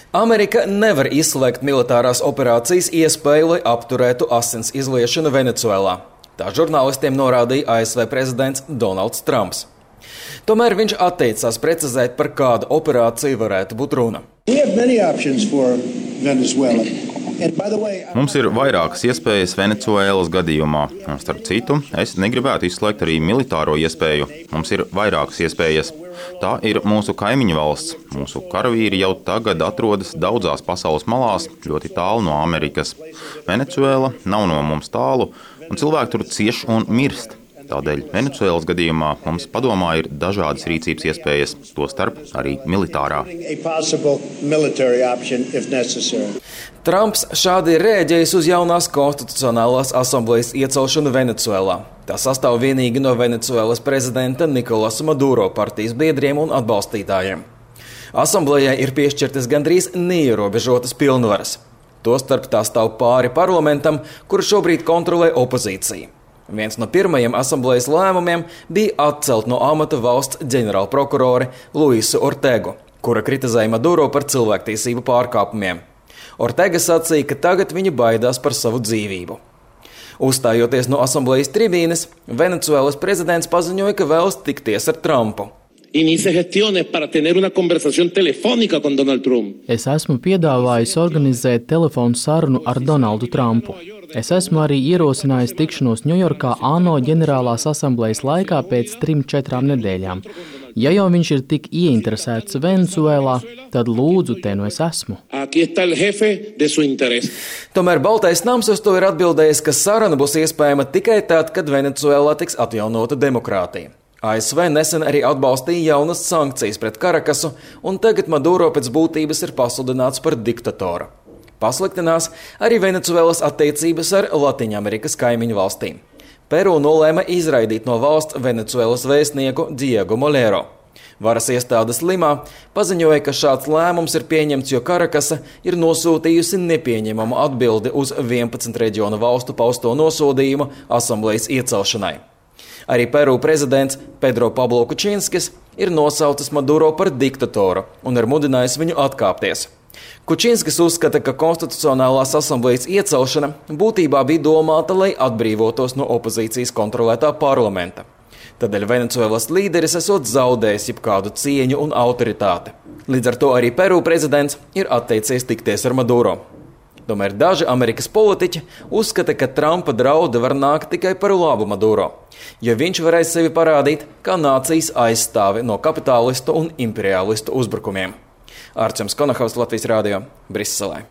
Amerika nevar izslēgt militārās operācijas iespēju, lai apturētu asins izliešanu Venecuēlā. Tā žurnālistiem norādīja ASV prezidents Donalds Trumps. Tomēr viņš atteicās precizēt, par kādu operāciju varētu būt runa. Mums ir vairākas iespējas Venecuēlas gadījumā. Starp citu, es negribētu izslēgt arī militāro iespēju. Mums ir vairākas iespējas. Tā ir mūsu kaimiņu valsts. Mūsu karavīri jau tagad atrodas daudzās pasaules malās, ļoti tālu no Amerikas. Venecuēla nav no mums tālu, un cilvēki tur cieš un mirst. Tādēļ Venecuēlas gadījumā mums padomā ir dažādas rīcības iespējas, tostarp arī militārā. Trumps šādi ir rēģējis uz jaunās konstitucionālās asamblejas iecelšanu Venecuēlā. Tā sastāv vienīgi no Venecuēlas prezidenta Nikolasa Maduro partijas biedriem un atbalstītājiem. Asamblejai ir piešķirtas gandrīz neierobežotas pilnvaras. Tostarp tā stāv pāri parlamentam, kuru šobrīd kontrolē opozīcija. Viens no pirmajiem asamblejas lēmumiem bija atcelt no amata valsts ģenerālprokurore Luisu Ortegu, kura kritizēja Maduro par cilvēktiesību pārkāpumiem. Ortega sacīja, ka tagad viņa baidās par savu dzīvību. Uzstājoties no asamblejas tribīnes, Venecuēlas prezidents paziņoja, ka vēlas tikties ar Trumpu. Es esmu piedāvājis organizēt telefonu sarunu ar Donaldu Trumpu. Es esmu arī ierosinājis tikšanos Ņujorkā ANO ģenerālās asamblejas laikā pēc 3-4 nedēļām. Ja jau viņš ir tik ieinteresēts Venecuēlā, tad lūdzu, te nu es esmu. Tomēr Baltais nams uz to ir atbildējis, ka saruna būs iespējama tikai tad, kad Venecuēlā tiks atjaunota demokrātija. ASV nesen arī atbalstīja jaunas sankcijas pret Karakasu, un tagad Maduro pēc būtības ir pasludināts par diktatoru. Pasliktinās arī Venecuēlas attiecības ar Latīņamerikas kaimiņu valstīm. Peru nolēma izraidīt no valsts Venecuēlas vēstnieku Diego Molero. Varas iestādes Limā paziņoja, ka šāds lēmums ir pieņemts, jo Karakasa ir nosūtījusi nepieņemamu atbildi uz 11 reģionu valstu pausto nosodījumu asamblejas iecelšanai. Arī Peru prezidents Pedro Pablo Kučinskis ir nosaucis Maduro par diktatoru un ir mudinājis viņu atkāpties. Kučinskis uzskata, ka konstitucionālās asamblejas iecelšana būtībā bija domāta, lai atbrīvotos no opozīcijas kontrolētā parlamenta. Tādēļ Venecuēlas līderis esot zaudējis jebkādu cieņu un autoritāti. Līdz ar to arī Peru prezidents ir atteicies tikties ar Maduro. Tomēr daži Amerikas politiķi uzskata, ka Trumpa draudi var nākt tikai par labu Maduro, jo viņš varēs sevi parādīt kā nācijas aizstāvi no kapitālistu un imperialistu uzbrukumiem. Arčuns Konahaus, Latvijas Rādio, Briselē.